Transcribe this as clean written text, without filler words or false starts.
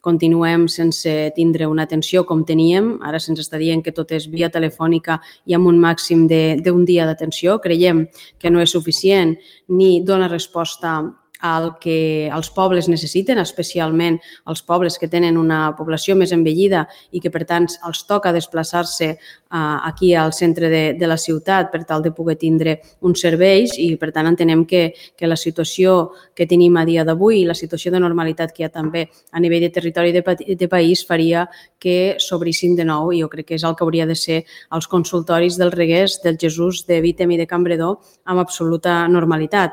continuem sense tindre una atenció com teníem. Ara se'ns està dient que tot és via telefònica i amb un màxim d'un dia d'atenció. Creiem que no és suficient ni dona resposta al que els pobles necessiten, especialment els pobles que tenen una població més envellida i que, per tant, els toca desplaçar-se aquí al centre de la ciutat per tal de poder tindre uns serveis i, per tant, entenem que la situació que tenim a dia d'avui i la situació de normalitat que hi ha també a nivell de territori de país faria que s'obrissin de nou, i jo crec que és el que hauria de ser els consultoris del Reguers, del Jesús, de Vítem i de Campredó amb absoluta normalitat.